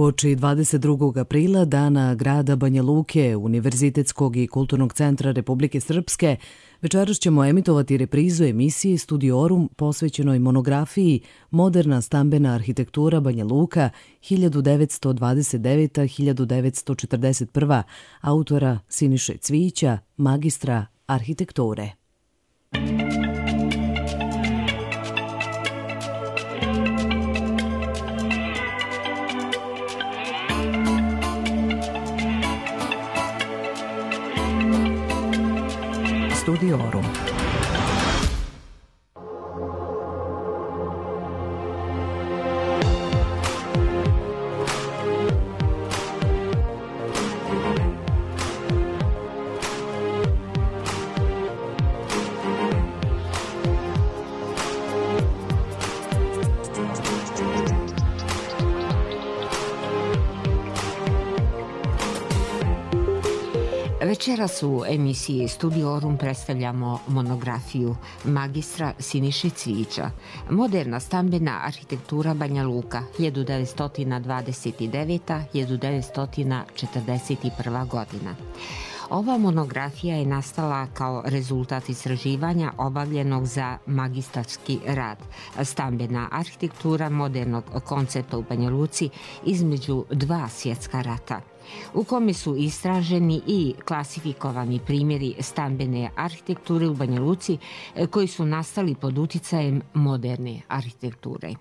Uoči 22. aprila, dana grada Banja Luke, Univerzitetskog i kulturnog centra Republike Srpske, večeras ćemo emitovati reprizu emisije Studiorum posvećenoj monografiji Moderna stambena arhitektura Banja Luka 1929-1941 autora Siniše Cvijića, magistra arhitekture. Studiorum. Večeras u emisiji Studiorum predstavljamo monografiju magistra Siniše Cvijića Moderna stambena arhitektura Banja Luka 1929-1941 godina. Ova monografija je nastala kao rezultat istraživanja obavljenog za magistarski rad Stambena arhitektura modernog koncepta u Banja Luci između dva svjetska rata, u kome su istraženi i klasifikovani primjeri stambene arhitekture u Banja Luci koji su nastali pod uticajem moderne arhitekture.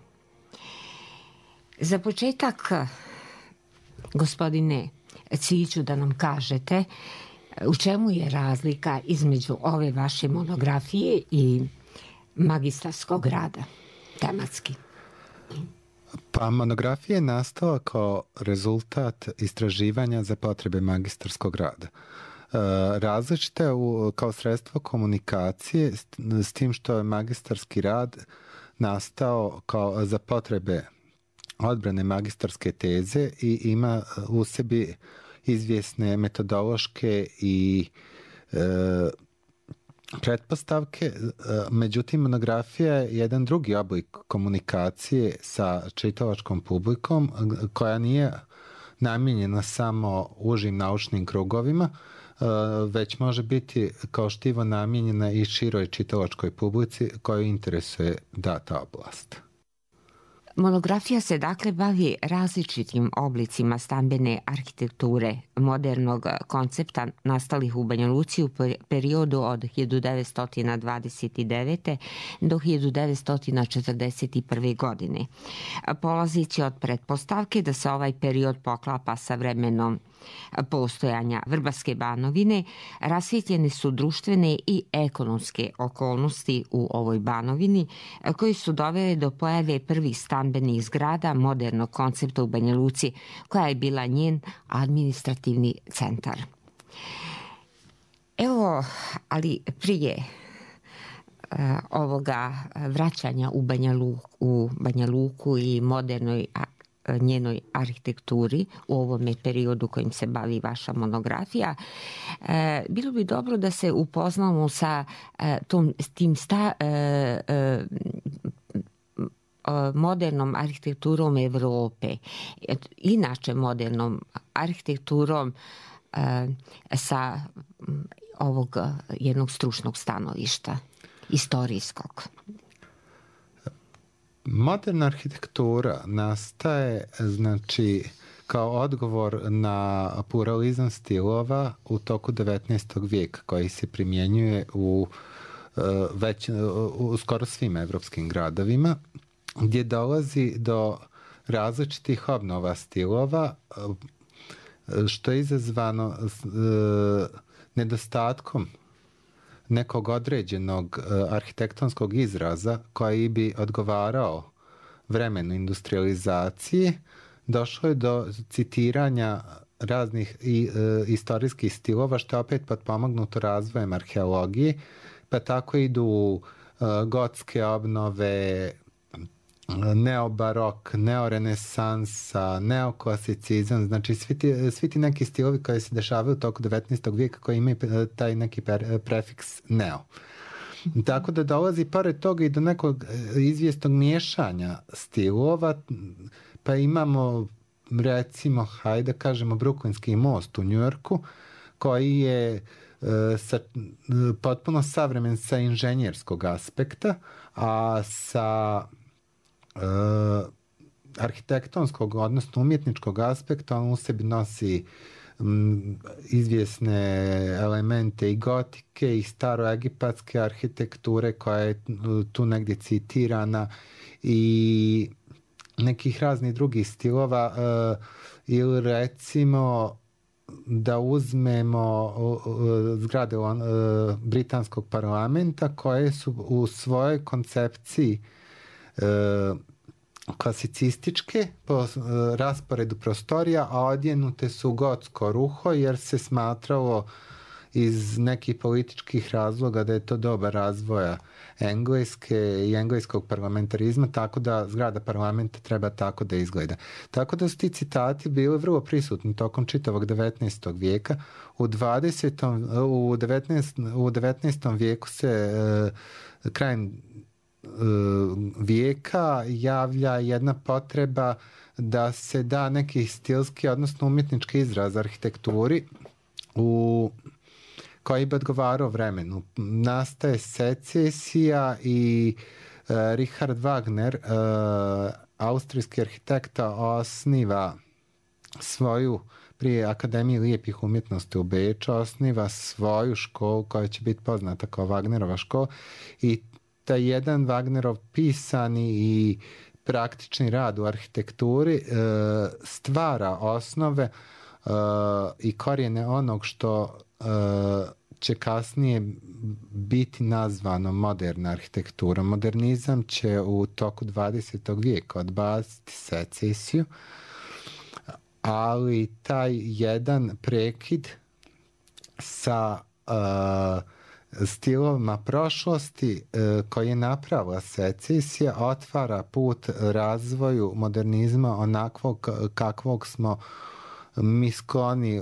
Za početak, gospodine Cvijiću, da nam kažete u čemu je razlika između ove vaše monografije i magistarskog rada, tematski? Pa monografija je nastala kao rezultat istraživanja za potrebe magistarskog rada. Različite kao sredstvo komunikacije s tim što je magistarski rad nastao kao za potrebe odbrane magistarske teze i ima u sebi izvjesne metodološke i pretpostavke. Međutim, monografija je jedan drugi oblik komunikacije sa čitalačkom publikom koja nije namijenjena samo užim naučnim krugovima, već može biti kao štivo namijenjena i široj čitalačkoj publici koju interesuje data oblast. Monografija se dakle bavi različitim oblicima stambene arhitekture modernog koncepta nastalih u Banja Luci u periodu od 1929. do 1941. godine. Polazići od pretpostavke da se ovaj period poklapa sa vremenom postojanja Vrbarske banovine, rasvjetljene su društvene i ekonomske okolnosti u ovoj banovini koji su dovele do pojave prvih stambenih zgrada modernog koncepta u Banja Luci, koja je bila njen administrativni centar. Evo, ali prije ovoga vraćanja u Banja Luku i modernoj njenoj arhitekturi u ovome periodu kojim se bavi vaša monografija, bilo bi dobro da se upoznamo sa tim modernom arhitekturom Evrope, inače modernom arhitekturom sa ovog jednog stručnog stanovišta, istorijskog. Moderna arhitektura nastaje, kao odgovor na pluralizam stilova u toku 19. vijeka koji se primjenjuje u skoro svim evropskim gradovima, gdje dolazi do različitih obnova stilova, što je izazvano nedostatkom nekog određenog arhitektonskog izraza koji bi odgovarao vremenu industrializacije. Došlo je do citiranja raznih istorijskih stilova, što je opet potpomognuto razvojem arheologije, pa tako idu gotske obnove, neobarok, neorenesansa, neoklasicizam, znači svi ti neki stilovi koji se dešavaju u toku 19. vijeka koji imaju taj neki prefiks neo. Tako da dolazi pored toga i do nekog izvjesnog miješanja stilova, pa imamo recimo, hajde kažemo, Bruklinski most u Njujorku, koji je potpuno savremen sa inženjerskog aspekta, a sa arhitektonskog, odnosno umjetničkog aspekta, on u sebi nosi izvjesne elemente i gotike i staroegipatske arhitekture koja je tu negdje citirana i nekih raznih drugih stilova ili recimo da uzmemo zgrade britanskog parlamenta koje su u svojoj koncepciji klasicističke po rasporedu prostorija, a odjenute su gotsko ruho jer se smatralo iz nekih političkih razloga da je to doba razvoja Engleske i engleskog parlamentarizma, tako da zgrada parlamenta treba tako da izgleda. Tako da su ti citati bili vrlo prisutni tokom čitavog 19. vijeka. U 19. vijeku se krajem vijeka javlja jedna potreba da se da neki stilski, odnosno umjetnički izraz arhitekturi koji bi odgovarao vremenu. Nastaje secesija i Richard Wagner, austrijski arhitekta, osniva svoju, prije Akademije lijepih umjetnosti u Beču, osniva svoju školu koja će biti poznata kao Wagnerova škola i taj jedan Wagnerov pisani i praktični rad u arhitekturi stvara osnove i korijene onog što će kasnije biti nazvano moderna arhitektura. Modernizam će u toku 20. vijeka odbaciti secesiju, ali taj jedan prekid sa stilovima prošlosti koji je napravila secesija otvara put razvoju modernizma onakvog kakvog smo mi skloni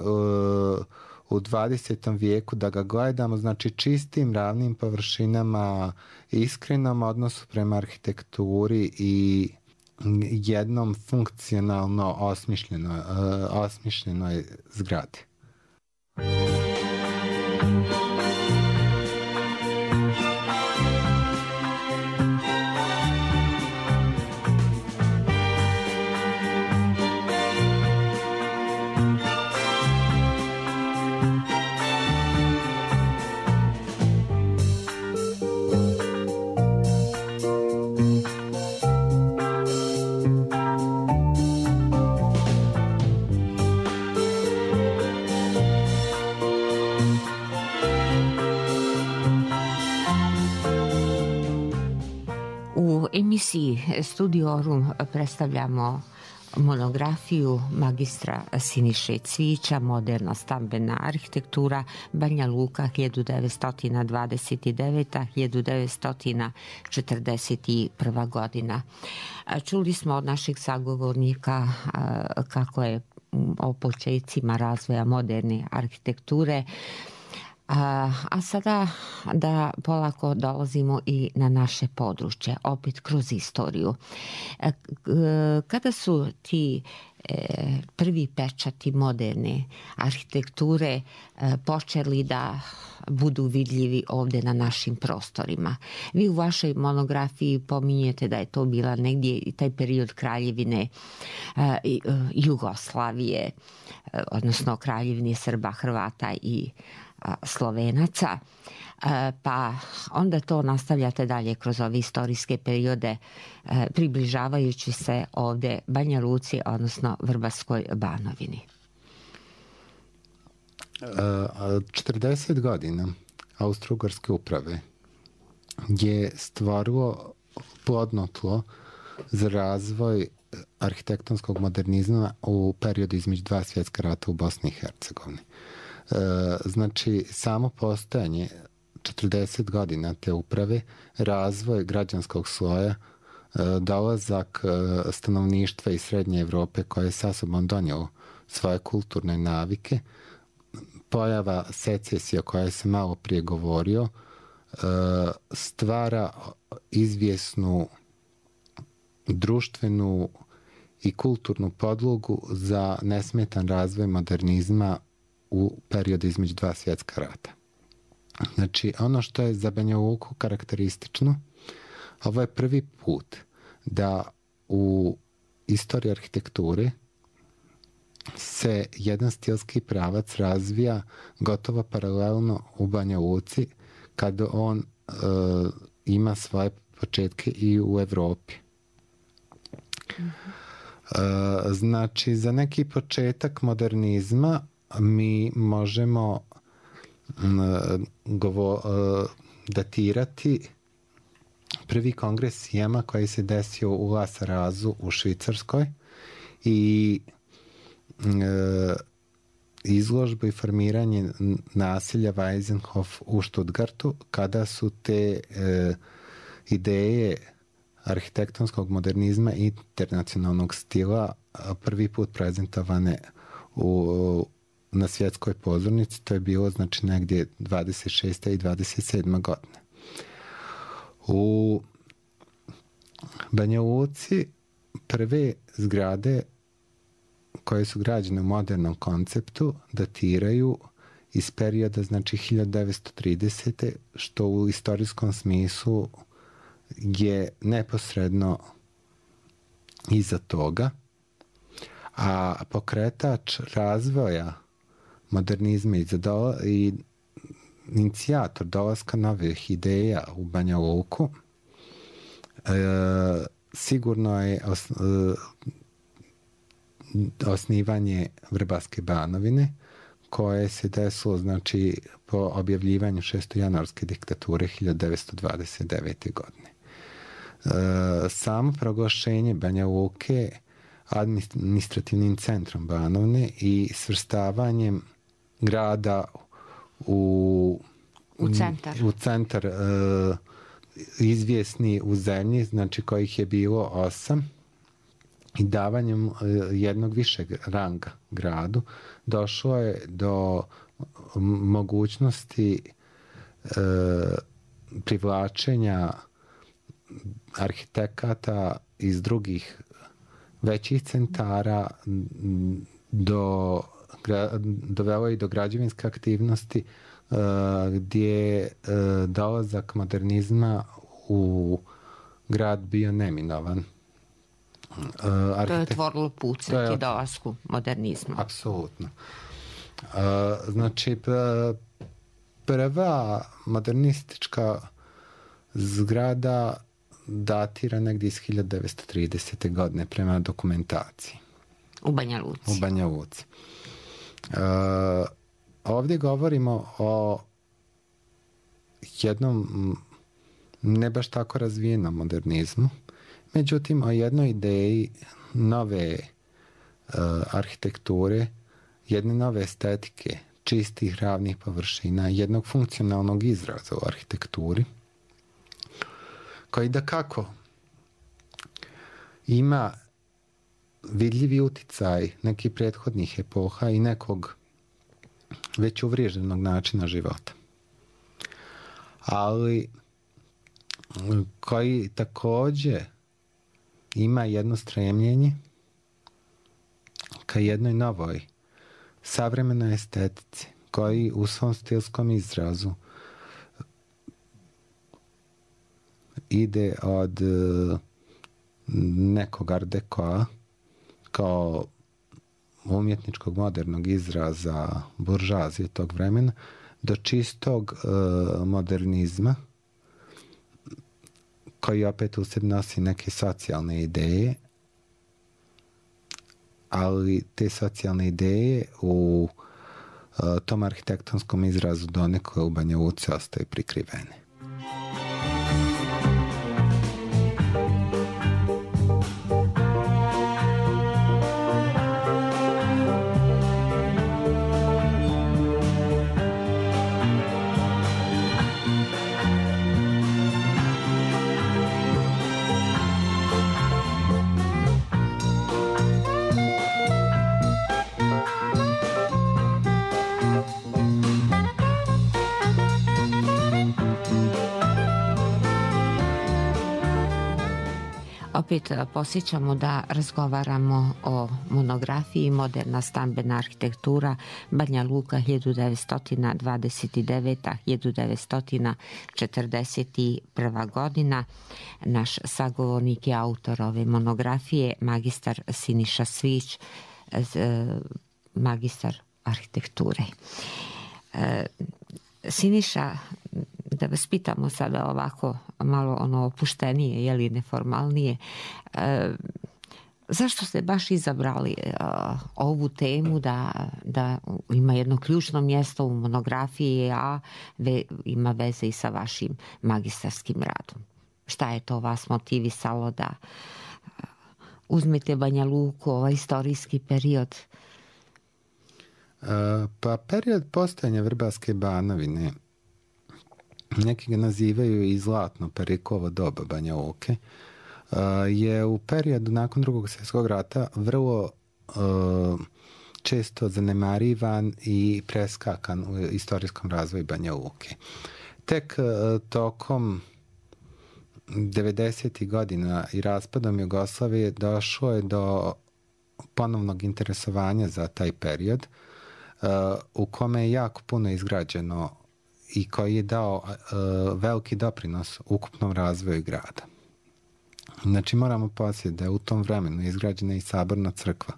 u 20. vijeku da ga gledamo, znači čistim, ravnim površinama, iskrenom odnosu prema arhitekturi i jednom funkcionalno osmišljenoj zgradi. U emisiji Studiorum predstavljamo monografiju magistra Siniše Cvijića, Moderna stambena arhitektura, Banja Luka 1929-1941 godina. Čuli smo od naših sagovornika kako je o počecima razvoja moderne arhitekture, a sada da polako dolazimo i na naše područje, opet kroz istoriju. Kada su ti prvi pečati moderne arhitekture počeli da budu vidljivi ovdje na našim prostorima? Vi u vašoj monografiji pominjete da je to bila negdje i taj period kraljevine Jugoslavije, odnosno kraljevine Srba, Hrvata i Slovenaca, pa onda to nastavljate dalje kroz ove istorijske periode, približavajući se ovdje Banja Luci, odnosno Vrbarskoj Banovini. 40 godina Austro-Ugarske uprave je stvorilo plodno tlo za razvoj arhitektonskog modernizma u periodu između dva svjetska rata u Bosni i Hercegovini. Znači, samo postojanje 40 godina te uprave, razvoj građanskog sloja, dolazak stanovništva iz Srednje Evrope koje je sa sobom donijelo svoje kulturne navike, pojava secesija koja se malo prije govorio, stvara izvjesnu društvenu i kulturnu podlogu za nesmetan razvoj modernizma u periodu između dva svjetska rata. Znači, ono što je za Banja Luku karakteristično, ovo je prvi put da u istoriji arhitekture se jedan stilski pravac razvija gotovo paralelno u Banja Luci kad on ima svoje početke i u Evropi. Znači, za neki početak modernizma mi možemo datirati prvi kongres Sijema koji se desio u La Sarazu u Švicarskoj i izložbu i formiranje naselja Weisenhof u Stuttgartu, kada su te ideje arhitektonskog modernizma i internacionalnog stila prvi put prezentovane na svjetskoj pozornici. To je bilo znači negdje 26. i 27. godine. U Banja Luci prve zgrade koje su građene u modernom konceptu datiraju iz perioda znači 1930. što u istorijskom smislu je neposredno iza toga, a pokretač razvoja modernizma i inicijator dolaska novih ideja u Banja Luku sigurno je osnivanje Vrbaske Banovine, koje se desilo znači po objavljivanju šestojanuarske diktature 1929. godine. Samo proglašenje Banja Luke administrativnim centrom Banovine i svrstavanjem grada u centar izvjesni u zemlji, znači kojih je bilo 8, i davanjem jednog višeg ranga gradu došlo je do mogućnosti privlačenja arhitekata iz drugih većih centara, dovelo i do građevinske aktivnosti gdje dolazak modernizma u grad bio neminovan. To je otvorilo put svaki dolasku modernizma. Apsolutno. Znači, prva modernistička zgrada datira negdje iz 1930. godine prema dokumentaciji. U Banja Luci. U Banja Luci. Ovdje govorimo o jednom ne baš tako razvijenom modernizmu, međutim o jednoj ideji nove arhitekture, jedne nove estetike, čistih ravnih površina, jednog funkcionalnog izraza u arhitekturi, koji da kako ima vidljivi uticaj nekih prethodnih epoha i nekog već uvriježenog načina života. Ali koji također ima jedno stremljenje ka jednoj novoj savremenoj estetici, koji u svom stilskom izrazu ide od nekog art decoa kao umjetničkog modernog izraza buržoazije tog vremena do čistog modernizma koji opet u sebi nosi neke socijalne ideje, ali te socijalne ideje u tom arhitektonskom izrazu donekle u Banja Luci ostaju prikrivene. Opet posjećamo da razgovaramo o monografiji Moderna stambena arhitektura Banja Luka 1929-1941 godina. Naš sagovornik je autor ove monografije, magistar Siniša Svić, magistar arhitekture. Siniša, da vas pitamo sada ovako malo opuštenije, jeli neformalnije, zašto ste baš izabrali ovu temu da ima jedno ključno mjesto u monografiji, a ima veze i sa vašim magistarskim radom? Šta je to vas motivisalo da uzmete Banja Luku, ovaj istorijski period? Pa period postojanja Vrbarske Banovine, neki ga nazivaju i zlatno Perikovo doba Banja Luke, je u periodu nakon Drugog svjetskog rata vrlo često zanemarivan i preskakan u istorijskom razvoju Banja Luke. Tek tokom 90. godina i raspadom Jugoslavije došlo je do ponovnog interesovanja za taj period, u kome je jako puno izgrađeno i koji je dao veliki doprinos ukupnom razvoju grada. Znači, moramo posjetiti da je u tom vremenu izgrađena i saborna crkva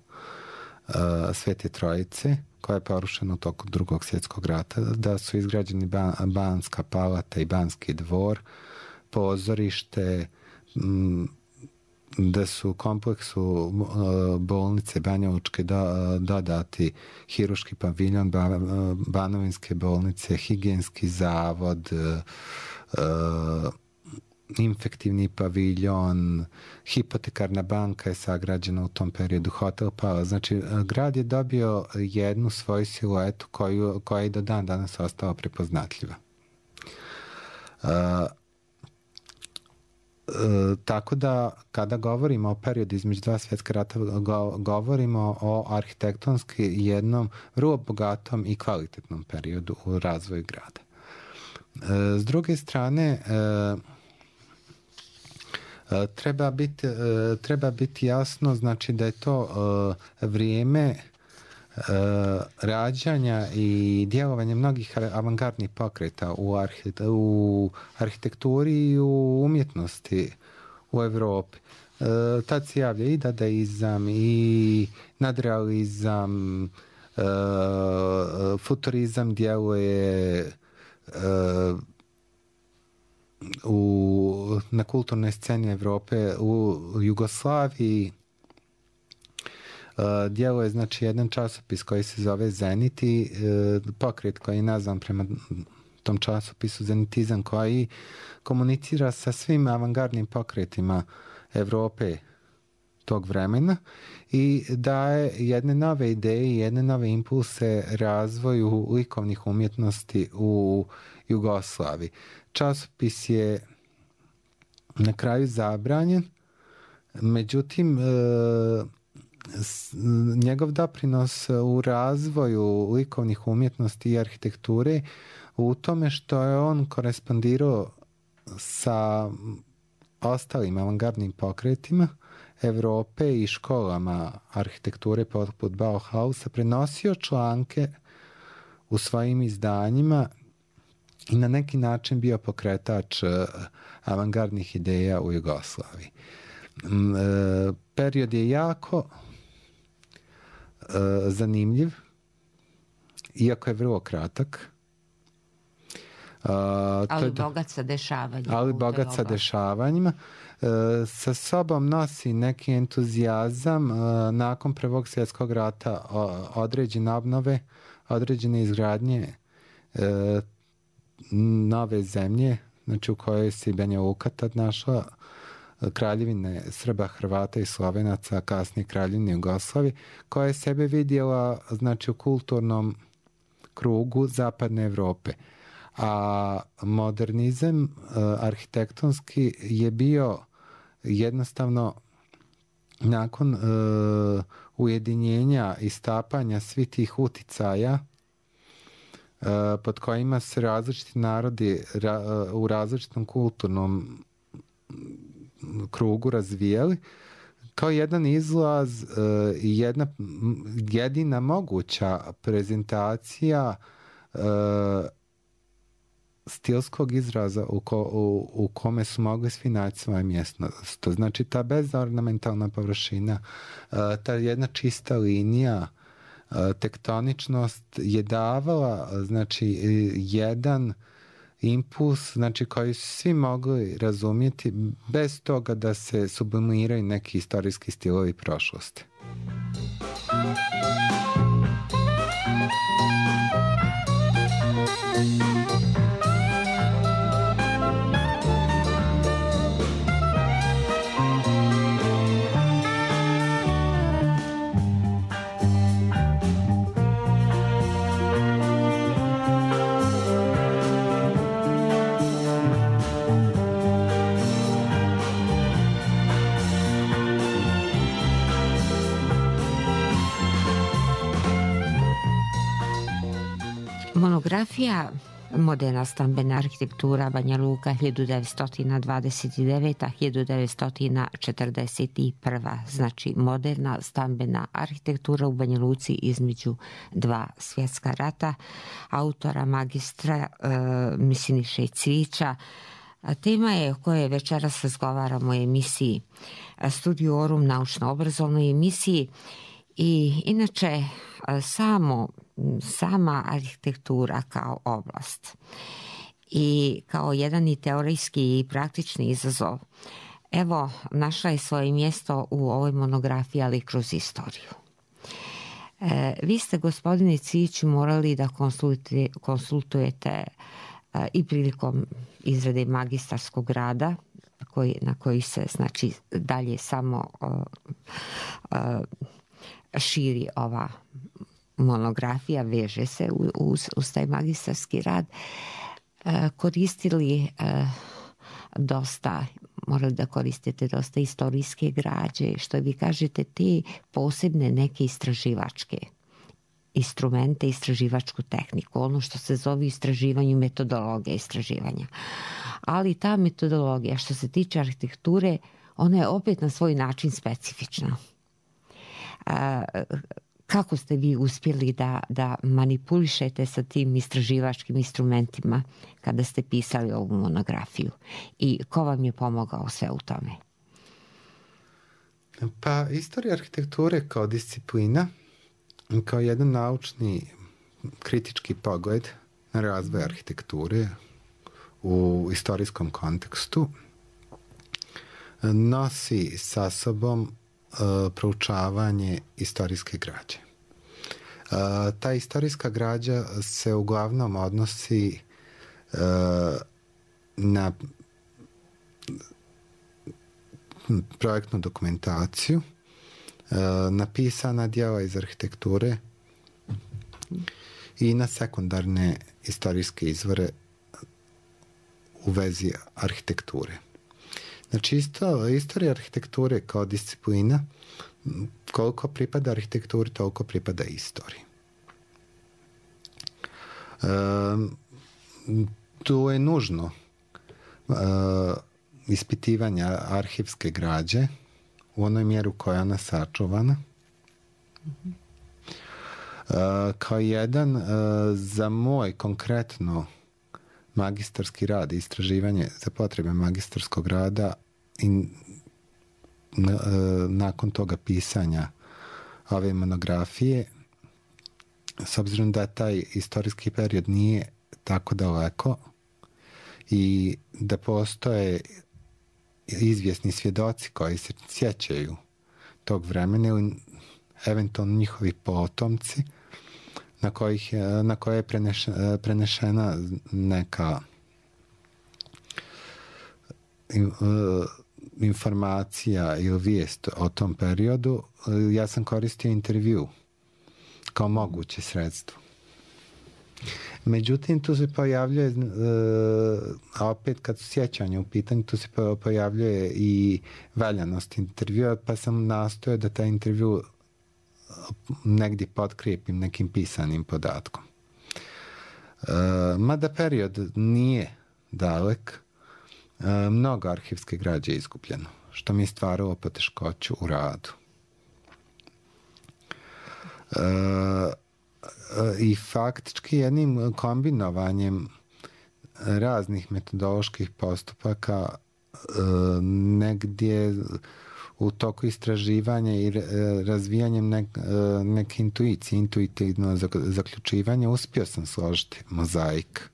Svete Trojice, koja je porušena u toku Drugog svjetskog rata, da su izgrađeni Banska palata i Banski dvor, pozorište, da su u kompleksu bolnice Banjalučke dodati hiruški paviljon, Banovinske bolnice, higijenski zavod, infektivni paviljon, hipotekarna banka je sagrađena u tom periodu, hotel Pala. Znači, grad je dobio jednu svoju siluetu koja je do dan danas ostala prepoznatljiva. Tako da kada govorimo o periodu između dva svjetska rata, govorimo o arhitektonski jednom vrlo bogatom i kvalitetnom periodu u razvoju grada. S druge strane, treba biti jasno, znači, da je to vrijeme rađanja i djelovanja mnogih avangardnih pokreta u arhitekturi i u umjetnosti u Evropi. Tad se javlja i dadaizam i nadrealizam, futurizam djeluje na kulturnoj sceni Evrope. U Jugoslaviji djeluje, znači, jedan časopis koji se zove Zenit i pokret koji je nazvan prema tom časopisu Zenitizam, koji komunicira sa svim avangardnim pokretima Evrope tog vremena i daje jedne nove ideje i jedne nove impulse razvoju likovnih umjetnosti u Jugoslaviji. Časopis je na kraju zabranjen, međutim, njegov doprinos u razvoju likovnih umjetnosti i arhitekture u tome što je on korespondirao sa ostalim avangardnim pokretima Evrope i školama arhitekture poput Bauhausa, prenosio članke u svojim izdanjima i na neki način bio pokretač avangardnih ideja u Jugoslaviji. Period je jako zanimljiv, iako je vrlo kratak. Ali bogat sa dešavanjima. Ali bogat sa dešavanjima. Sa sobom nosi neki entuzijazam nakon Prvog svjetskog rata, određene obnove, određene izgradnje nove zemlje, znači u kojoj se Banja Luka tad našla, kraljevine Srba, Hrvata i Slovenaca, kasnije kraljevine Jugoslavije, koja je sebe vidjela, znači, u kulturnom krugu zapadne Evrope. A modernizam arhitektonski je bio jednostavno nakon ujedinjenja i stapanja svih tih uticaja pod kojima se različiti narodi u različitom kulturnom krugu razvijali kao jedan izlaz i jedina moguća prezentacija stilskog izraza u kome su mogli svi naći svoje mjesto. To znači ta bezornamentalna površina, ta jedna čista linija, tektoničnost je davala znači jedan impuls znači koji su svi mogli razumjeti bez toga da se sublimiraju neki istorijski stilovi prošlosti. Monografija Moderna stambena arhitektura Banja Luka 1929-1941, znači moderna stambena arhitektura u Banja Luci između dva svjetska rata, autora magistra Siniše Cvijića. Tema je o kojoj večeras razgovaramo u emisiji Studiorum, naučno-obrazovnoj emisiji. I inače sama arhitektura kao oblast i kao jedan i teorijski i praktični izazov, evo, našla je svoje mjesto u ovoj monografiji, ali kroz istoriju. Vi ste, gospodine Cvijiću, morali da konsultujete i prilikom izrade magistarskog rada, na koji se znači dalje samo širi ova monografija, veže se uz taj magistarski rad, koristili dosta, morali da koristite dosta istorijske građe, što vi kažete, te posebne neke istraživačke instrumente, istraživačku tehniku, ono što se zove istraživanje, metodologija istraživanja. Ali ta metodologija što se tiče arhitekture, ona je opet na svoj način specifična. Kako ste vi uspjeli da manipulišete sa tim istraživačkim instrumentima kada ste pisali ovu monografiju i ko vam je pomogao sve u tome? Pa istorija arhitekture kao disciplina, kao jedan naučni kritički pogled na razvoj arhitekture u istorijskom kontekstu nosi sa sobom proučavanje istorijske građe. Ta istorijska građa se uglavnom odnosi na projektnu dokumentaciju, na pisana djela iz arhitekture i na sekundarne istorijske izvore u vezi arhitekture. Znači, istorija arhitekture kao disciplina, koliko pripada arhitekturi, toliko pripada istoriji. Tu je nužno ispitivanje arhivske građe u onoj mjeru koja je ona sačuvana. Kao jedan za moj konkretno magistarski rad i istraživanje za potrebe magistarskog rada i nakon toga pisanja ove monografije, s obzirom da taj istorijski period nije tako daleko i da postoje izvjesni svjedoci koji se sjećaju tog vremena ili eventualno njihovi potomci na koje je prenešena neka informacija ili vijest o tom periodu, ja sam koristio intervju kao moguće sredstvo. Međutim, tu se pojavljuje, a opet kad su sjećanja u pitanju, tu se pojavljuje i valjanost intervjua, pa sam nastojao da taj intervju negdje potkrijepim nekim pisanim podatkom. Mada period nije dalek, mnogo arhivske građe izgubljeno, što mi je stvaralo poteškoću u radu. I faktički jednim kombinovanjem raznih metodoloških postupaka negdje u toku istraživanja i razvijanjem neke intuicije, intuitivno zaključivanje, uspio sam složiti mozaik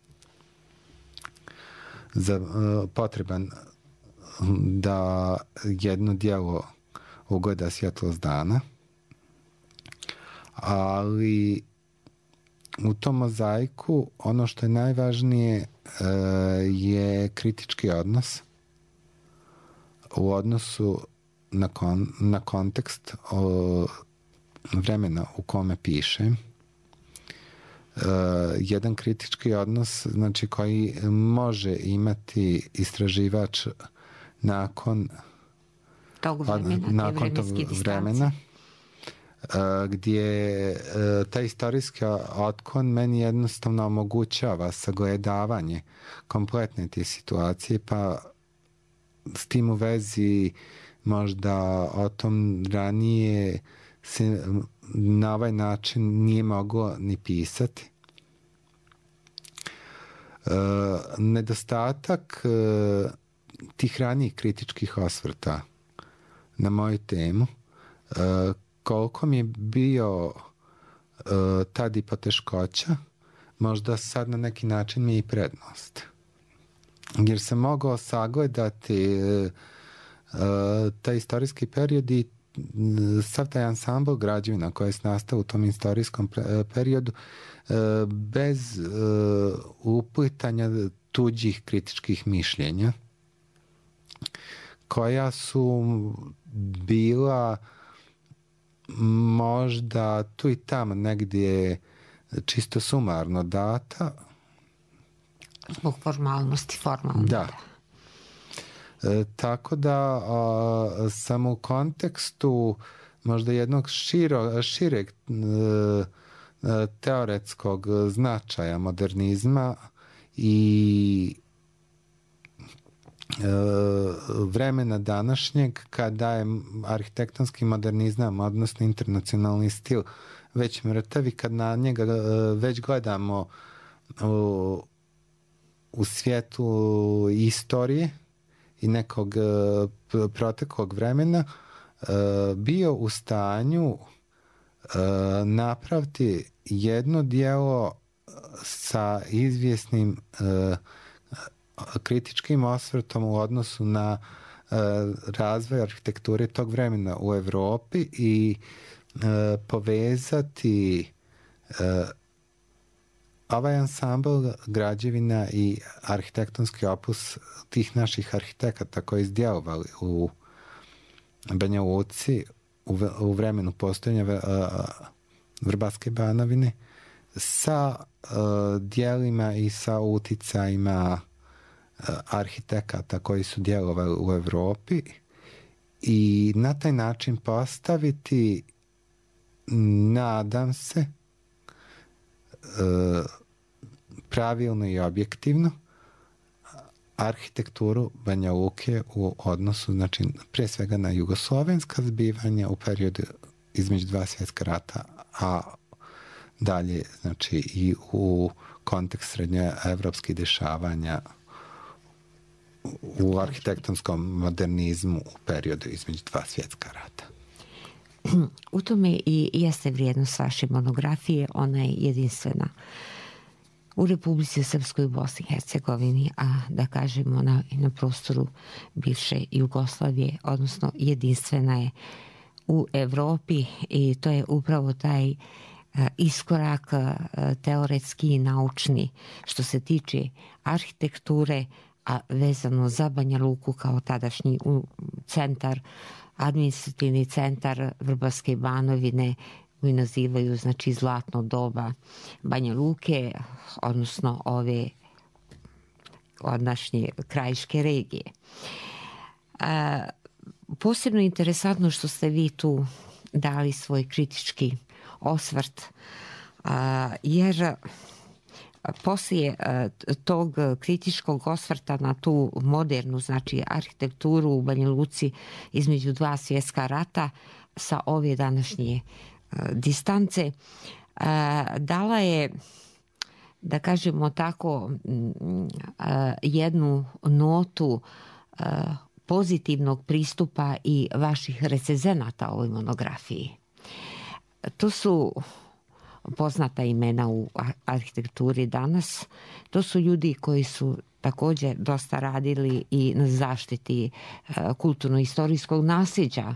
potreban da jedno djelo ugleda svjetlost dana, ali u tom mozaiku ono što je najvažnije je kritički odnos u odnosu na kontekst vremena u kome pišem. Jedan kritički odnos, znači, koji može imati istraživač nakon tog vremena, gdje taj istorijski otklon meni jednostavno omogućava sagledavanje kompletne te situacije, pa s tim u vezi možda o tom ranije se na ovaj način nije moglo ni pisati. Nedostatak tih ranijih kritičkih osvrta na moju temu, koliko mi je bio tad i poteškoća, možda sad na neki način mi je i prednost. Jer sam mogao sagledati taj istorijski period i sav taj ansambl građevina koja je nastao u tom istorijskom periodu bez uplitanja tuđih kritičkih mišljenja, koja su bila možda tu i tamo negdje čisto sumarno data. Zbog formalnosti, formalno. Da. Tako da sam u kontekstu možda jednog šireg teoretskog značaja modernizma i vremena današnjeg, kada je arhitektonski modernizam, odnosno internacionalni stil, već mrtav i kad na njega već gledamo u svijetu istorije i nekog proteklog vremena, bio u stanju napraviti jedno djelo sa izvjesnim kritičkim osvrtom u odnosu na razvoj arhitekture tog vremena u Evropi i povezati ovaj ansambl građevina i arhitektonski opus tih naših arhitekata koji izdjelovali u Banja Luci u vremenu postojanja Vrbatske Banovine sa dijelima i sa uticajima arhitekata koji su djelovali u Evropi i na taj način postaviti, nadam se, pravilno i objektivno arhitekturu Banja Luke u odnosu, znači, prije svega na jugoslovenska zbivanja u periodu između dva svjetska rata, a dalje, znači, i u kontekst srednjoevropskih dešavanja u arhitektonskom modernizmu u periodu između dva svjetska rata. U tome i jeste vrijednost vaše monografije, ona je jedinstvena u Republici Srpskoj, u Bosni i Hercegovini, a da kažemo na prostoru bivše Jugoslavije, odnosno jedinstvena je u Evropi, i to je upravo taj iskorak teoretski i naučni što se tiče arhitekture, a vezano za Banja Luku kao tadašnji centar, administrativni centar Vrbatske Banovine, koji nazivaju, znači, zlatno doba Banja Luke, odnosno ove odnašnje krajiške regije. Posebno interesantno što ste vi tu dali svoj kritički osvrt, jer poslije tog kritičkog osvrta na tu modernu, znači arhitekturu u Banja Luci između dva svjetska rata sa ove današnje distance, dala je, da kažemo tako, jednu notu pozitivnog pristupa i vaših recenzenata ovoj monografiji. To su poznata imena u arhitekturi danas. To su ljudi koji su također dosta radili i na zaštiti kulturno-istorijskog nasljeđa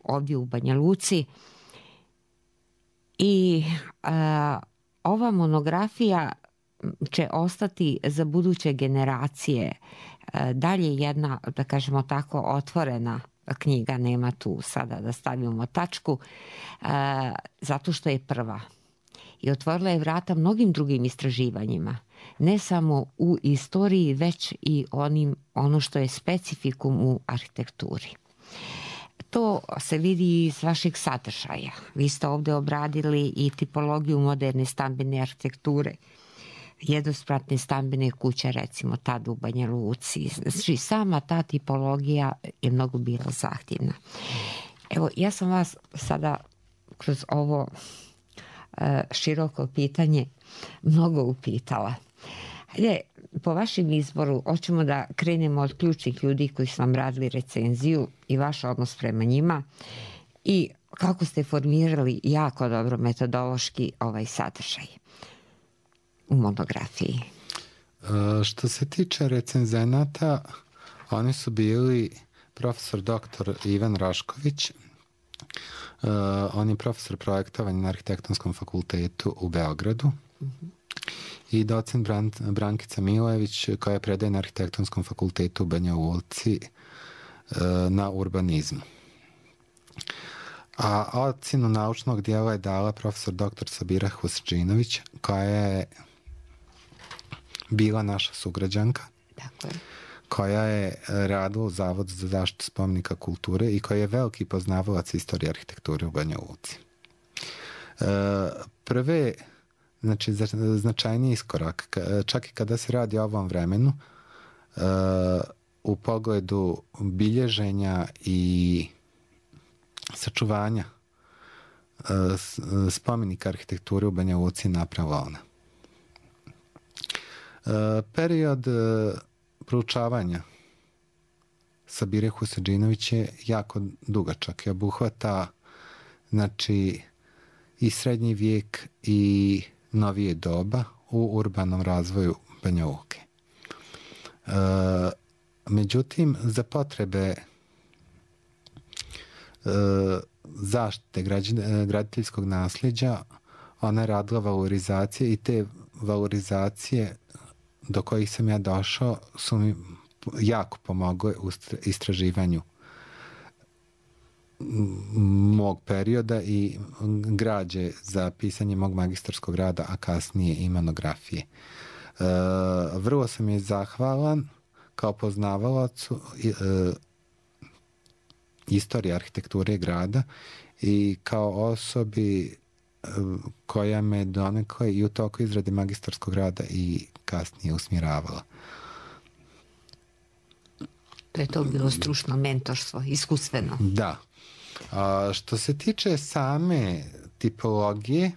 ovdje u Banja Luci. I ova monografija će ostati za buduće generacije dalje jedna, da kažemo tako, otvorena knjiga, nema tu sada da stavimo tačku, zato što je prva. I otvorila je vrata mnogim drugim istraživanjima, ne samo u istoriji, već i ono što je specifikum u arhitekturi. To se vidi iz vašeg sadržaja. Vi ste ovdje obradili i tipologiju moderne stambene arhitekture, jednospratne stambene kuće, recimo tad u Banja Luci. Znači, sama ta tipologija je mnogo bila zahtjevna. Evo, ja sam vas sada kroz ovo široko pitanje mnogo upitala. Hajde, po vašem izboru, hoćemo da krenemo od ključnih ljudi koji su vam radili recenziju i vaš odnos prema njima i kako ste formirali jako dobro metodološki ovaj sadržaj u monografiji. Što se tiče recenzenata, oni su bili profesor dr. Ivan Rašković, on je profesor projektovanja na Arhitektonskom fakultetu u Beogradu, i docent Brankica Milojević, koja predaje na Arhitektonskom fakultetu u Banja Luci na urbanizmu. A ocjenu naučnog dijela je dala profesor dr. Sabira Husdžinović, koja je bila naša sugrađanka, koja je radila u Zavodu za zaštitu spomenika kulture i koja je veliki poznavalac istorije arhitekture u Banja Luci. Prve, znači, značajni iskorak, čak i kada se radi o ovom vremenu, u pogledu bilježenja i sačuvanja spomenika arhitekture u Banja Luci napravila ona. Period proučavanja Sabire Husdžinović je jako dugačak i obuhvata, znači, i srednji vijek i novije doba u urbanom razvoju Banja Luke. Međutim, za potrebe zaštite graditeljskog nasljeđa ona je radila valorizacije i te valorizacije do kojih sam ja došao su mi jako pomogle u istraživanju mog perioda i građe za pisanje mog magistarskog rada, a kasnije i monografije. Vrlo sam je zahvalan kao poznavalacu istorije arhitekture grada i kao osobi koja me donekle i u toku izrade magistarskog rada i kasnije usmjeravala. To je to bilo stručno mentorstvo, iskustveno. Da. Što se tiče same tipologije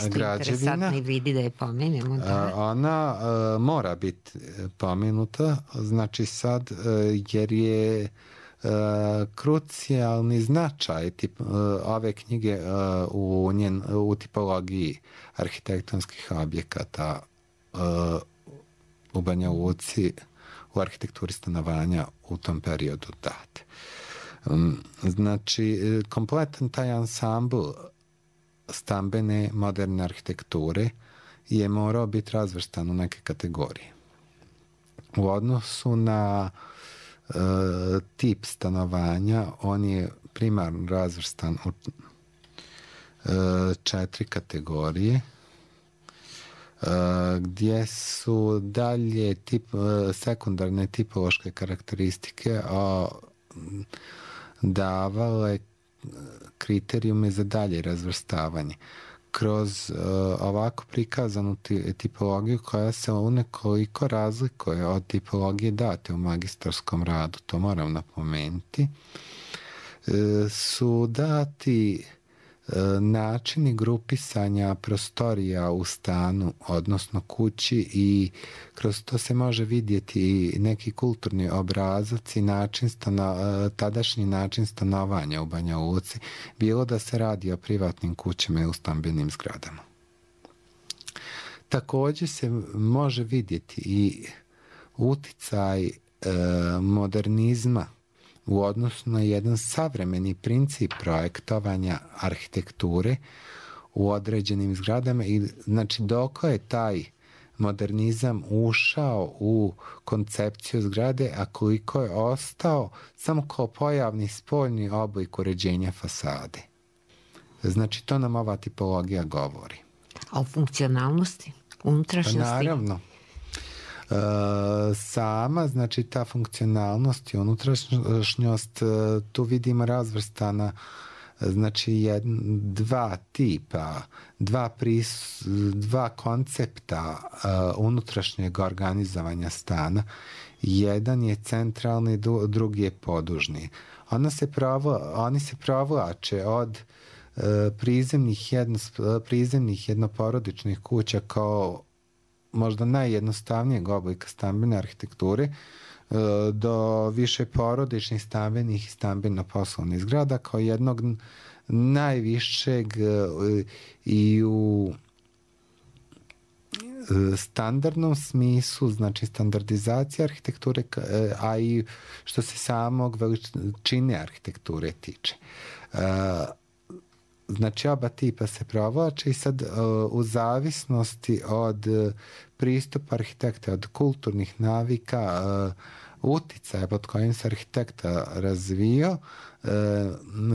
građevina, vidi da je pomenemo. Ona mora biti pomenuta, znači sad, jer je krucijalni značaj ove knjige u tipologiji arhitektonskih objekata u Banja Luci, u arhitekturi stanovanja u tom periodu date. Znači, kompletan taj ansambl stambene moderne arhitekture je morao biti razvrstan u neke kategorije. U odnosu na tip stanovanja, on je primarno razvrstan u 4 kategorije, gdje su dalje sekundarne tipološke karakteristike davale kriterijume za dalje razvrstavanje. kroz ovako prikazanu tipologiju koja se unekoliko razlikuje od tipologije date u magistarskom radu, to moram napomenuti, su dati načini grupisanja prostorija u stanu, odnosno kući, i kroz to se može vidjeti neki kulturni obrazac i tadašnji način stanovanja u Banja Luci, bilo da se radi o privatnim kućama i u stambenim zgradama. Također se može vidjeti i uticaj modernizma u odnosu na jedan savremeni princip projektovanja arhitekture u određenim zgradama, i znači dok je taj modernizam ušao u koncepciju zgrade, a koliko je ostao samo kao pojavni spoljni oblik uređenja fasade. Znači to nam ova tipologija govori. A o funkcionalnosti, unutrašnjosti? Pa naravno. Sama, znači ta funkcionalnost i unutrašnjost, tu vidimo razvrstana, znači dva tipa, dva koncepta unutrašnjeg organizovanja stana. Jedan je centralni, drugi je podužni. Oni se provlače od prizemnih jednoporodičnih kuća kao možda najjednostavnijeg oblika stambene arhitekture do više porodičnih stambenih i stambeno-poslovnih zgrada kao jednog najvišeg i u standardnom smislu, znači standardizacija arhitekture, a i što se samog veličine arhitekture tiče. Znači oba tipa se provlače i sad u zavisnosti od pristupa arhitekta, od kulturnih navika, uticaja pod kojim se arhitekta razvio,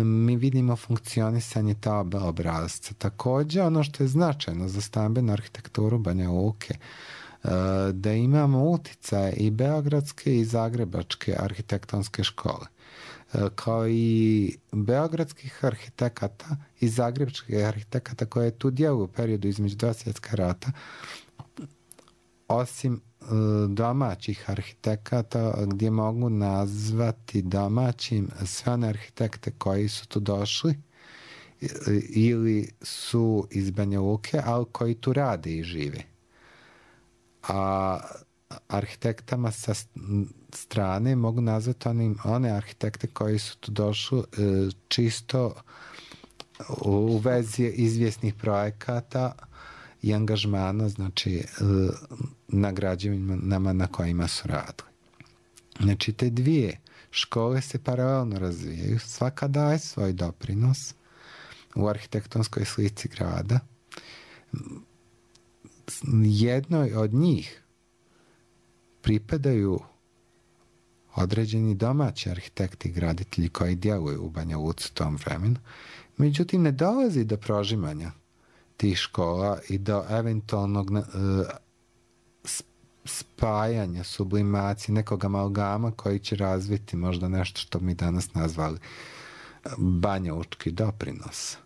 mi vidimo funkcionisanje ta oba obrazca. Također ono što je značajno za stambenu arhitekturu Banja Luke, da imamo uticaje i beogradske i zagrebačke arhitektonske škole, kao i beogradskih arhitekata i zagrebačkih arhitekata koje tu djeluju u periodu između dva svjetska rata, osim domaćih arhitekata, gdje mogu nazvati domaćim sve one arhitekte koji su tu došli ili su iz Banja Luke, ali koji tu rade i žive. A arhitektama sa strane mogu nazvati one arhitekte koji su tu došli čisto u vezi izvjesnih projekata i angažmana, znači na građevinama na kojima su radili. Znači te dvije škole se paralelno razvijaju, svaka daje svoj doprinos u arhitektonskoj slici grada. Jednoj od njih pripadaju određeni domaći arhitekti i graditelji koji djeluju u Banja Luci u tom vremenu. Međutim, ne dolazi do prožimanja tih škola i do eventualnog spajanja, sublimacije, nekog amalgama koji će razviti možda nešto što mi danas nazvali banjalučki doprinos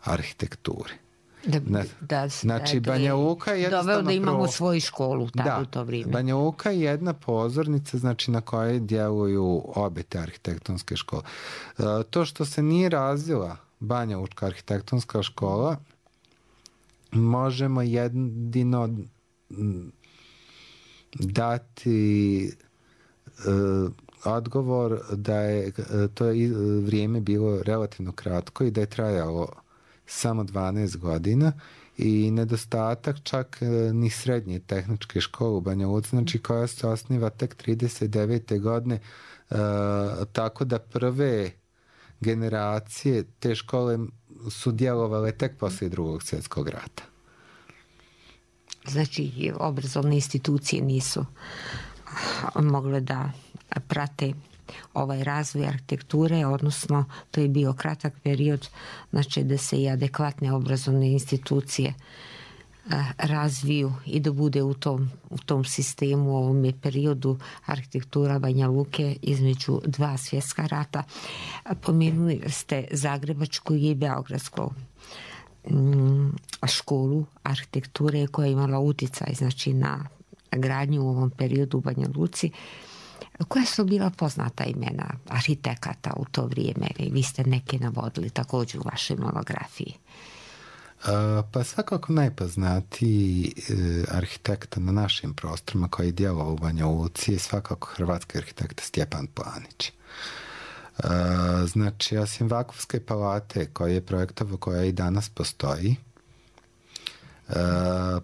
arhitekturi. Znači, Banja Luka je doveo da imamo svoju školu u to vrijeme. Banja Luka je jedna pozornica, znači, na kojoj djeluju obe te arhitektonske škole. To što se nije razvila banjalučka arhitektonska škola, možemo jedino dati odgovor da je to vrijeme bilo relativno kratko i da je trajalo samo 12 godina i nedostatak čak ni srednje tehničke škole u Banja Luci, znači koja se osniva tek 39. godine, tako da prve generacije te škole su djelovale tek poslije Drugog svjetskog rata. Znači, obrazovne institucije nisu mogle da prate ovaj razvoj arhitekture, odnosno to je bio kratak period, znači da se i adekvatne obrazovne institucije razviju i da bude u tom sistemu, u ovom periodu arhitektura Banja Luke između dva svjetska rata. Pomenuli ste zagrebačku i beogradsku. školu arhitekture koja je imala uticaj znači na gradnju u ovom periodu u Banja Luci. Koja su bila poznata imena arhitekata u to vrijeme? Vi ste neke navodili također u vašoj monografiji. Pa svakako najpoznatiji arhitekta na našim prostorima koji je djelovao u Banja Luci je svakako hrvatski arhitekta Stjepan Planić. Znači, osim Vakufske palate koja je projektovao, koja i danas postoji,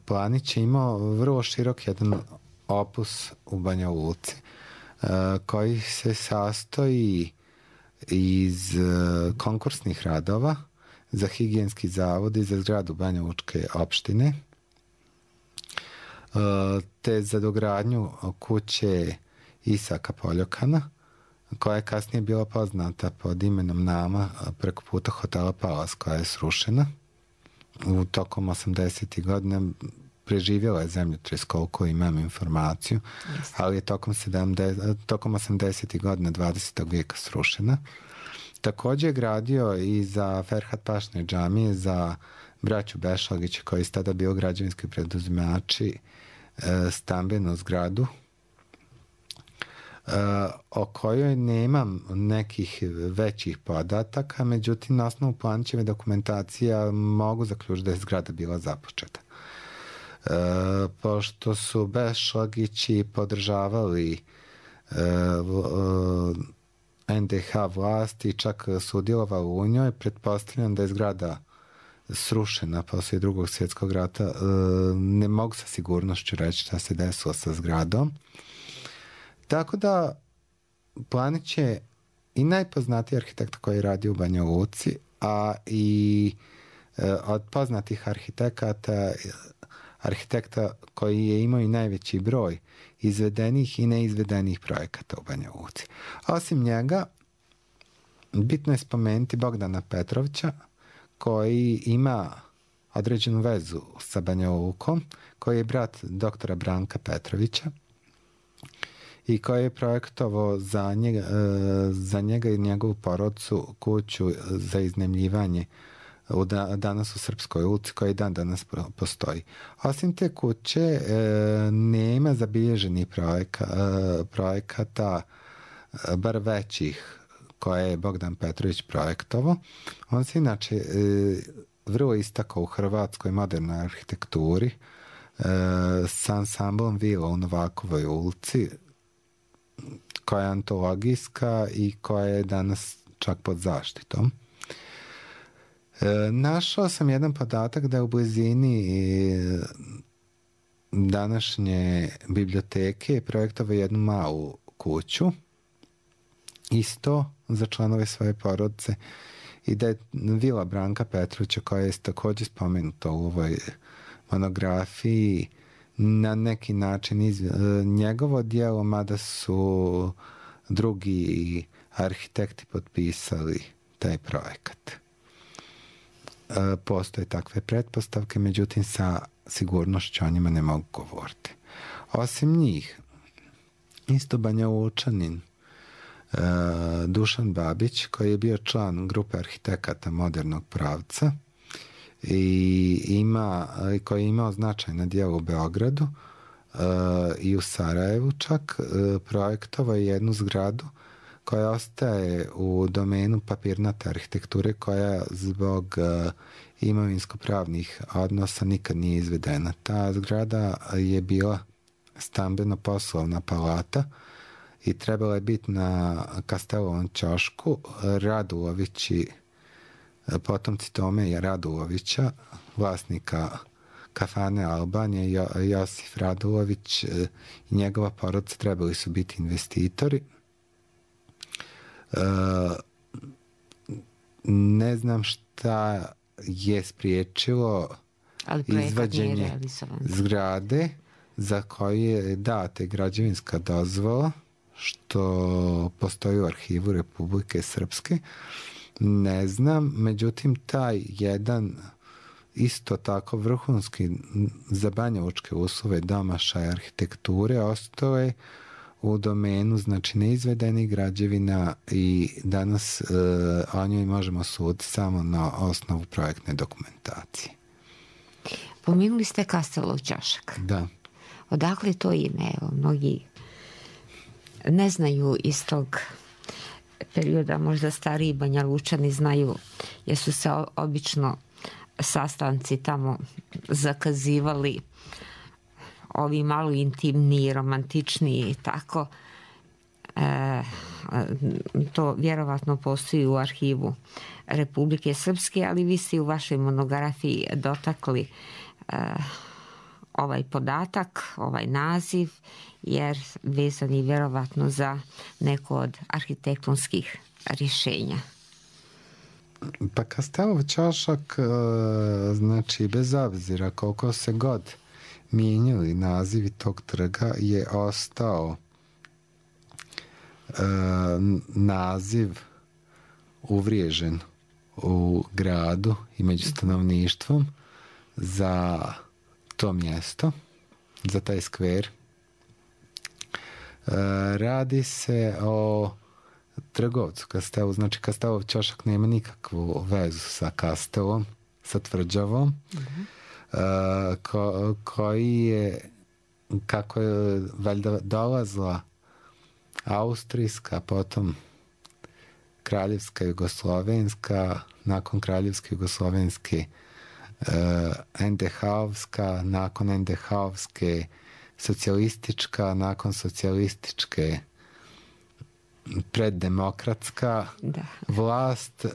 Planić je imao vrlo širok jedan opus u Banja Luci koji se sastoji iz konkursnih radova za higijenski zavod i za zgradu Banja Lučke opštine, te za dogradnju kuće Isaka Poljokana, koja je kasnije bila poznata pod imenom Nama preko puta hotela Palas, koja je srušena. U tokom 80. godina preživjela je zemljotres, koliko imam informaciju, ali je tokom 80. godina 20. vijeka srušena. Također je gradio i za Ferhat Pašne džamije, za braću Bešlagića, koji su tada bio građevinski preduzimači, stambenu zgradu, o kojoj nemam nekih većih podataka, međutim, na osnovu Planićeve dokumentacija mogu zaključiti da je zgrada bila započeta. Pošto su Bešlagići podržavali NDH vlasti, čak sudjelovali u njoj, pretpostavljam da je zgrada srušena poslije Drugog svjetskog rata. Ne mogu sa sigurnošću reći šta se desilo sa zgradom. Tako da Planić je i najpoznatiji arhitekt koji je radio u Banja Luci, a i od poznatih arhitekta koji je imao i najveći broj izvedenih i neizvedenih projekata u Banja Luci. Osim njega, bitno je spomenuti Bogdana Petrovića, koji ima određenu vezu sa Banja Lukom, koji je brat doktora Branka Petrovića i koji je projektovao za njega i njegovu porodcu kuću za iznajmljivanje danas u Srpskoj ulici, koji dan danas postoji. Osim te kuće nema zabilježenih projekata, bar većih, koje je Bogdan Petrović projektovao. On se inače vrlo istakao u hrvatskoj modernoj arhitekturi sa ansamblom vila u Novakovoj ulici, koja je antologijska i koja je danas čak pod zaštitom. Našao sam jedan podatak da je u blizini današnje biblioteke projektovao jednu malu kuću, isto za članove svoje porodice, i da je vila Branka Petrovića, koja je također spomenuta u ovoj monografiji, na neki način njegovo djelo, mada su drugi arhitekti potpisali taj projekat. Postoje takve pretpostavke, međutim sa sigurnošću o njima ne mogu govoriti. Osim njih, isto Banja Lučanin Dušan Babić, koji je bio član grupe arhitekata modernog pravca i koji je imao značajna djela u Beogradu i u Sarajevu čak, projektovao je jednu zgradu koja ostaje u domenu papirnate arhitekture, koja zbog imovinsko-pravnih odnosa nikad nije izvedena. Ta zgrada je bila stambeno-poslovna palata i trebala je biti na Kastelovom ćošku. Radulovići, potomci Tome Radulovića, vlasnika kafane Albanije, Josif Radulović i njegova porodica trebali su biti investitori. Ne znam šta je spriječilo izvađenje zgrade za koju je data građevinska dozvola, što postoji u arhivu Republike Srpske. Ne znam, međutim taj jedan isto tako vrhunski za banjalučke uslove domašaj arhitekture ostao je u domenu, znači, neizvedenih građevina i danas o njoj možemo suditi samo na osnovu projektne dokumentacije. Pomenuli ste Kastelov ćošak. Da. Odakle to ime? Evo, mnogi ne znaju iz tog perioda, možda stariji Banja Lučani znaju, jer su se obično sastanci tamo zakazivali, ovi malo intimniji, romantičniji i tako. To vjerovatno postoji u arhivu Republike Srpske, ali vi ste u vašoj monografiji dotakli ovaj podatak, ovaj naziv, jer vezan je vjerovatno za neko od arhitektonskih rješenja. Pa Kastelov ćošak, znači bez obzira koliko se god mijenjali nazivi tog trga, je ostao naziv uvriježen u gradu i među stanovništvom za to mjesto, za taj skver. Radi se o trgovcu Kastelov, znači Kastelov ćošak nema nikakvu vezu sa Kastelom, sa tvrđavom, koji je, kako je valjda dolazila austrijska, potom kraljevska jugoslovenska, nakon kraljevske jugoslovenske NDH-ovska, nakon NDH-ovske socijalistička, nakon socijalističke preddemokratska vlast,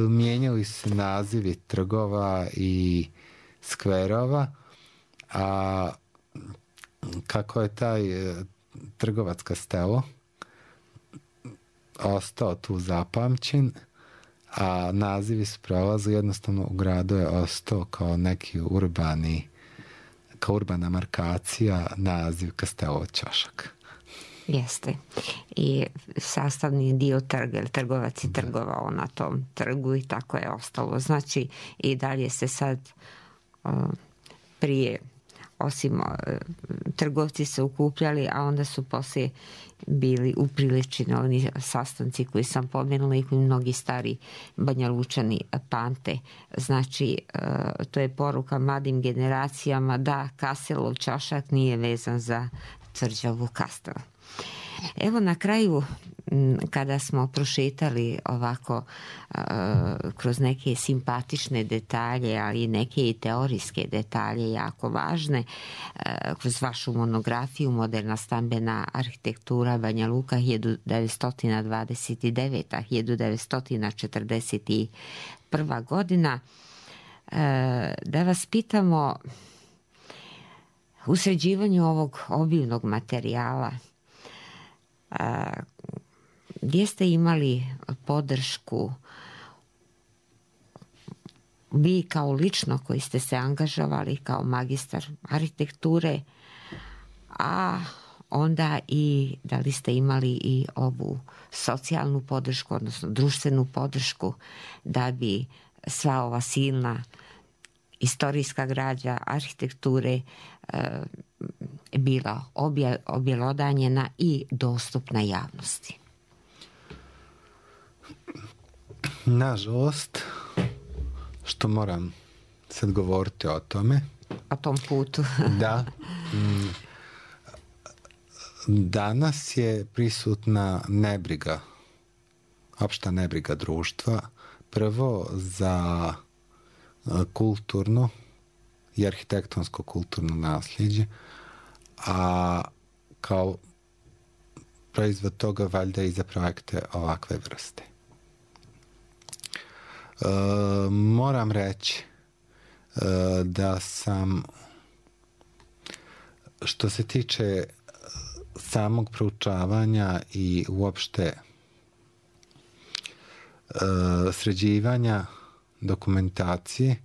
mijenjali su nazivi trgova i skverova, a kako je taj trgovac Kastelo ostao tu zapamćen, a nazivi su prolazili, jednostavno u gradu je ostao kao neki urbana markacija naziv Kastelov ćošak. Jeste. I sastavni dio trga, jer trgovac je trgovao na tom trgu i tako je ostalo. Znači i dalje se sad prije, osim trgovci se ukupljali, a onda su poslije bili upriličeni oni sastanci koji sam pomenula i koji mnogi stari Banja Lučani pamte. Znači, to je poruka mladim generacijama da Kastelov ćošak nije vezan za tvrđavu Kastel. Evo na kraju, kada smo prošetali ovako kroz neke simpatične detalje, ali i neke i teorijske detalje jako važne, kroz vašu monografiju Moderna stambena arhitektura Banja Luka 1929-1941 godina, da vas pitamo u sređivanju ovog obilnog materijala, gdje ste imali podršku vi kao lično koji ste se angažovali kao magistar arhitekture, a onda i da li ste imali i ovu socijalnu podršku, odnosno društvenu podršku, da bi sva ova silna istorijska građa arhitekture bila objelodanjena i dostupna javnosti? Nažalost, što moram sad govoriti o tome. O tom putu. Da. Danas je prisutna nebriga, opšta nebriga društva, prvo za kulturno i arhitektonsko kulturno nasljeđe, a kao proizvod toga valjda i za projekte ovakve vrste. Moram reći da sam, što se tiče samog proučavanja i uopšte sređivanja dokumentacije,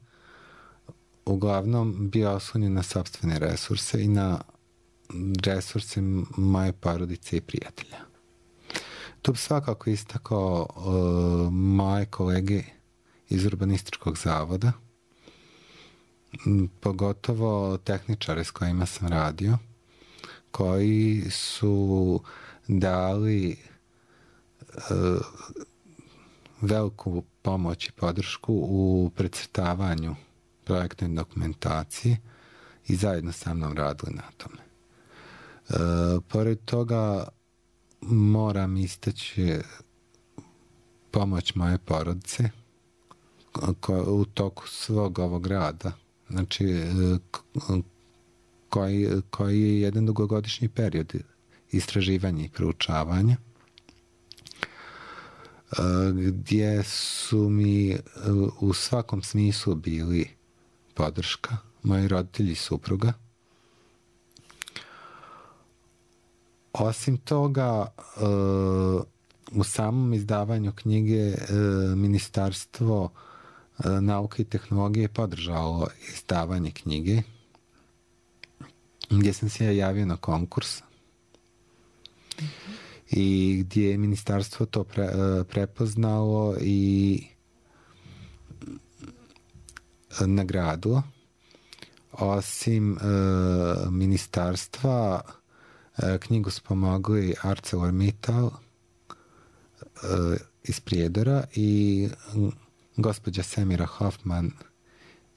uglavnom bio oslonjen na sopstvene resurse i na resurse moje porodice i prijatelja. Tu bi svakako istakao moje kolege iz Urbanističkog zavoda, pogotovo tehničare s kojima sam radio, koji su dali veliku pomoć i podršku u precrtavanju projektne dokumentacije i zajedno sa mnom radili na tome. Pored toga moram istaći pomoć moje porodice u toku svog ovog rada, znači koji je jedan dugogodišnji period istraživanja i proučavanja, gdje su mi u svakom smislu bili podrška, moji roditelji i supruga. Osim toga, u samom izdavanju knjige Ministarstvo nauke i tehnologije podržalo izdavanje knjige, gdje sam se ja javio na konkurs i gdje je ministarstvo to prepoznalo i nagradilo. Osim ministarstva, knjigu su pomogli ArcelorMittal iz Prijedora i gospođa Semira Hoffman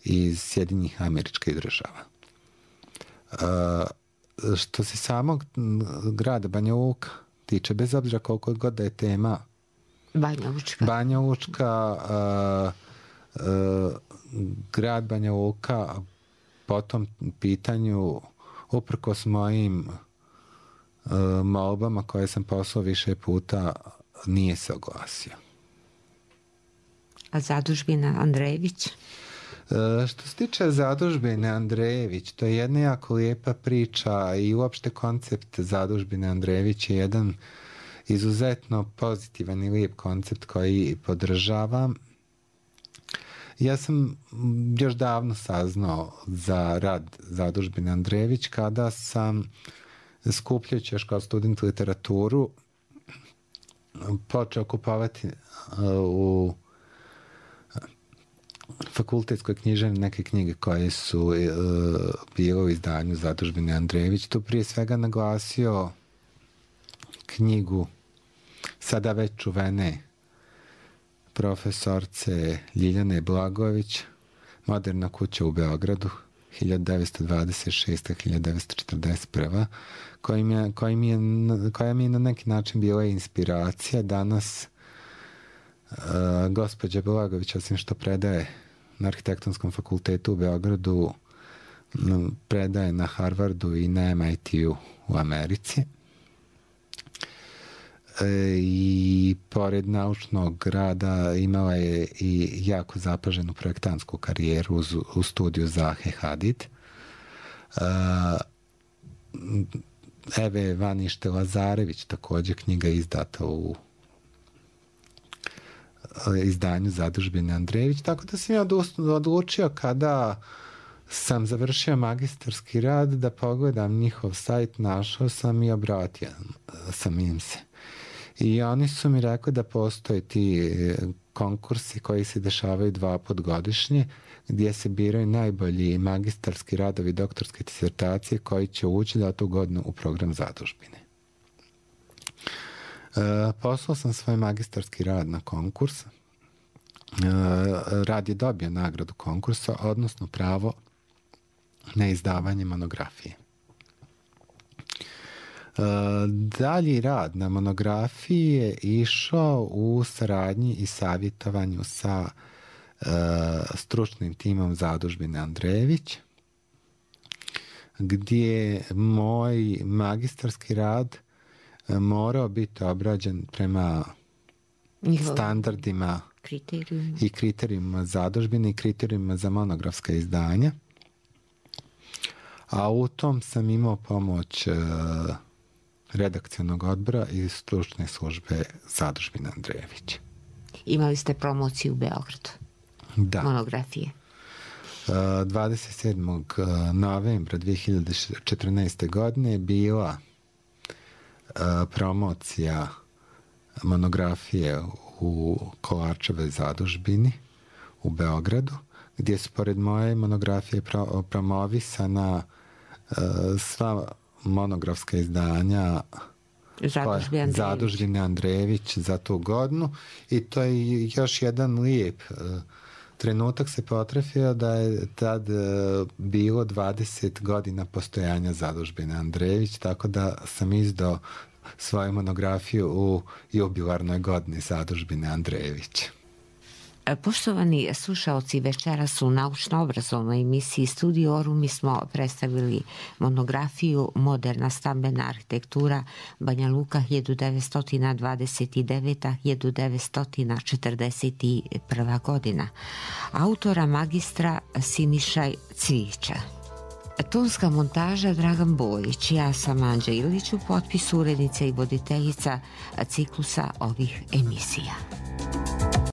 iz Sjedinjenih Američkih Država. Što se samog grada Banja Luka tiče, bez obzira koliko god da je tema Banja Lučka, grad Banja Luka po tom pitanju, uprkos mojim molbama koje sam poslao više puta, nije se oglasio. A zadužbina Andrejević? Što se tiče zadužbine Andrejević, to je jedna jako lijepa priča i uopšte koncept zadužbine Andrejević je jedan izuzetno pozitivan i lijep koncept koji podržavam. Ja sam još davno saznao za rad zadužbine Andrejević kada sam, skupljajući još kao student literaturu, počeo kupovati u fakultetskoj književni neke knjige koje su bile u izdanju zadužbine Andrejević. Tu prije svega naglasio knjigu sada već čuvene profesorce Ljiljane Blagojević, Moderna kuća u Beogradu, 1926-1941, koja mi je na neki način bila inspiracija. Danas gospođa Blagojević, osim što predaje na Arhitektonskom fakultetu u Beogradu, predaje na Harvardu i na MIT-u u Americi. I pored naučnog rada imala je i jako zapaženu projektantsku karijeru u studiju Zahe Hadid. Eve Vanište Lazarević, također knjiga izdata u izdanju zadužbine Andrejević, tako da sam ja odlučio kada sam završio magistarski rad da pogledam njihov sajt, našao sam i obratio sam im se. I oni su mi rekli da postoje ti konkursi koji se dešavaju 2 puta godišnje, gdje se biraju najbolji magistarski radovi, doktorske disertacije koji će ući da tu godinu u program zadužbine. Poslao sam svoj magistarski rad na konkurs. Rad je dobio nagradu konkursa, odnosno pravo na izdavanje monografije. Dalji rad na monografiji je išao u saradnji i savjetovanju sa stručnim timom zadužbine Andrejević, gdje moj magistarski rad morao biti obrađen prema standardima i kriterijima zadužbine i kriterijima za monografska izdanja. A u tom sam imao pomoć redakcionog odbora i stručne službe zadužbine Andrejević. Imali ste promociju u Beogradu? Da. Monografije? 27. novembra 2014. godine je bila promocija monografije u Kolarčevoj zadužbini u Beogradu, gdje su pored moje monografije promovisana sva monografska izdanja zadužbine Andrejević za tu godinu, i to je još jedan lijep trenutak se potrefio da je tad bilo 20 godina postojanja zadužbine Andrejević, tako da sam izdao svoju monografiju u jubilarnoj godini zadužbine Andrejević. Poštovani slušaoci, večeras u naučno-obrazovnoj emisiji Studio Orum mi smo predstavili monografiju Moderna stambena arhitektura Banja Luka 1929-1941 godina, autora magistra Sinišaj Cvijića. Tonska montaža Dragan Bojić, ja sam Anđa Ilić, u potpisu urednica i voditeljica ciklusa ovih emisija.